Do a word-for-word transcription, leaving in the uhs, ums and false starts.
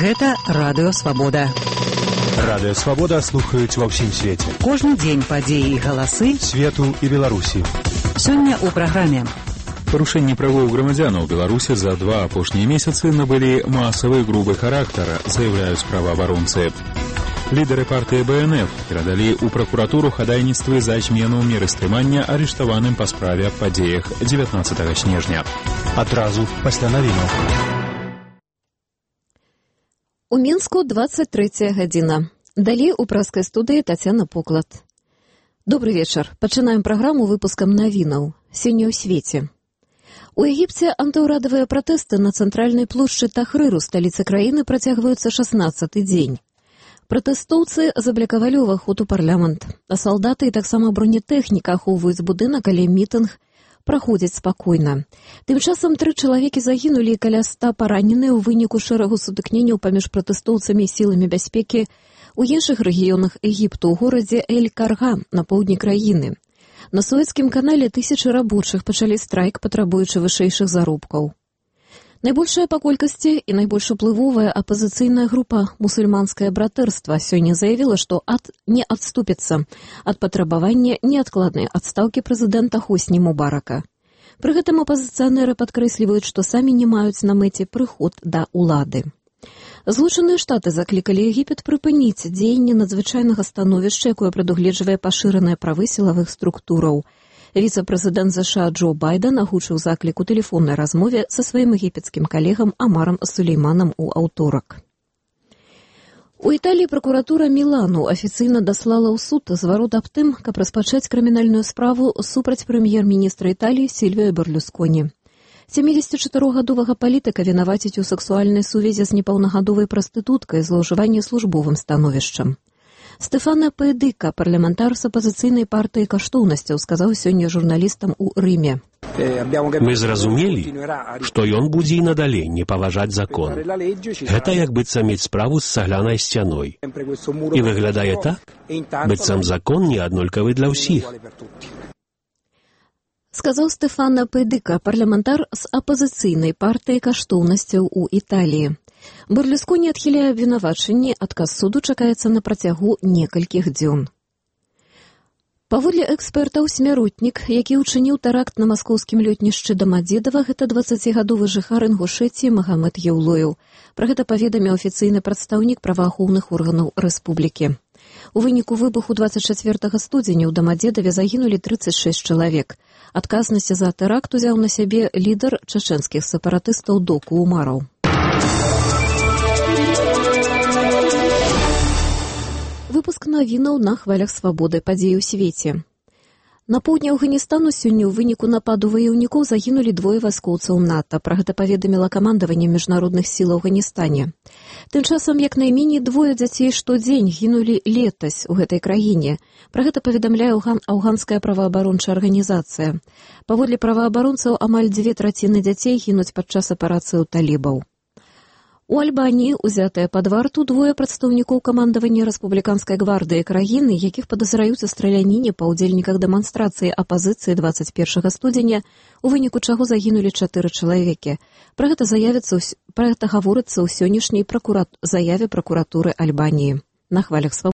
Гэта Радыё Свабода. Радыё Свабода слухаюць ва ўсім свеце. Кожны дзень падзеі і галасы свету і Беларусі. Сёння ў праграме. Парушэнні правоў грамадзянаў Беларусі за два апошнія месяцы набылі масавы грубы характар, заяўляюць праваабаронцы. Лідары партыі Бэ Эн Эф перадалі ў пракуратуру хадайніцтвы за змену меры стрымання арыштаваным па справе аб падзеях дзевятнаццатага снежня. Адразу пасля навінаў. У Мінску дваццаць трэцяя гадзіна. Далей у праскай студыі Тацяна Поклад. Добры вечар. Пачынаем праграму выпускам навінаў. Сёння ў свеце. У Егіпце антыўрадавыя пратэсты на цэнтральнай плошчы Тахрыру, сталіцы краіны, працягваюцца шаснаццаты дзень. Пратэстоўцы заблакавалі ўваход у парламент, а салдаты і таксама бронетэхніка ахоўваюць будынак, але мітынг праходзіць спакойна. Тым часам тры чалавекі загінулі і каля ста параненыя ў выніку шэрагу сутыкненняў паміж пратэстоўцамі і сіламі бяспекі ў іншых рэгіёнах Егіпту, у горадзе Эль-Карга на поўдні краіны. На Суэцкім канале тысячы рабочых пачалі страйк, патрабуючы вышэйшых заробкаў. Найбольшая па колькасці і найбольш уплывовая апазіцыйная група «Мусульманскае братэрства» сёння заявіла, што ад не адступіцца ад патрабавання неадкладнай адстаўкі прэзідэнта Хосні Мубарака. Пры гэтым апазіцыянеры падкрэсліваюць, што самі не маюць на мэце прыход да ўлады. Злучаныя Штаты заклікалі Егіпет прыпыніць дзеянне надзвычайнага становішча, якое прадугледжвае пашыраныя правы сілавых структураў. Віцэ-прэзідэнт ЗША Джо Байден агучыў заклік у тэлефоннай размове са сваім егіпецкім калегам Амарам Сулейманам у аўторак. У Італіі пракуратура Мілану афіцыйна даслала ў суд зварот аб тым, каб распачаць крымінальную справу супраць прэм'ер-міністра Італіі Сільвіо Берлусконі. семидзесятичатырохгадовага палітыка вінаваціць у сексуальнай сувязі з непаўнагадовай прастытуткай, злоўжыванні службовым становішчам. Стэфана Пэдыка, парламентар з апазіцыйнай партыі каштоўнасцяў, сказаў сёння журналістам у Рыме. Мы зразумелі, што ён будзе і надалей не паважаць закон. Гэта як быццам мець справу з цаглянай сцяной. І выглядае так, быццам закон не аднолькавы для ўсіх. Сказаў Стэфана Пэдыка, парламентар з апазіцыйнай партыі каштоўнасцяў у Італіі. Берлусконі адхіляе абвінавачанні, адказ суду чакаецца на працягу некалькіх дзён. Паводле экспертаў, смяротнік, які ўчыніў тэракт на маскоўскім лётнішчы Дамадзедава, гэта дваццацігадовы жыхар Інгушэціі Магамед Яўлоеў. Пра гэта паведаміў афіцыйны прадстаўнік праваахоўных органаў рэспублікі. У выніку выбуху дваццаць чацвёртага студзеня ў Дамадзедаве загінулі трыццаць шэсць чалавек. Адказнасць за тэракт узяў на сябе лідар чачэнскіх сепаратыстаў Доку Умараў. Выпуск навінаў на хвалях свабоды, падзеі ў свеце. На поўдні Афганістану сёння ў выніку нападу ваяўнікоў загінулі двое вайскоўцаў НАТО. Пра гэта паведаміла камандаванне міжнародных сіл у Афганістане. Тым часам, як найменей двое дзяцей штодзень гінулі летась у гэтай краіне. Пра гэта паведамляе афганская праваабарончая арганізацыя. Паводле праваабаронцаў, амаль дзве траціны дзяцей гінуць падчас аперацыі ў талібаў. У Альбаніі узятыя пад варту двое прадстаўнікоў камандавання рэспубліканскай гвардыі краіны, якіх падазраюць у страляніне па ўдзельніках дэманстрацыі апазіцыі дваццаць першага студзеня, у выніку чаго загінулі чатыры чалавекі. Пра гэта заявіцца, пра гэта гаворыцца ў сённяшняй пракура... заяве пракуратуры Альбаніі. На хвалях свабоды.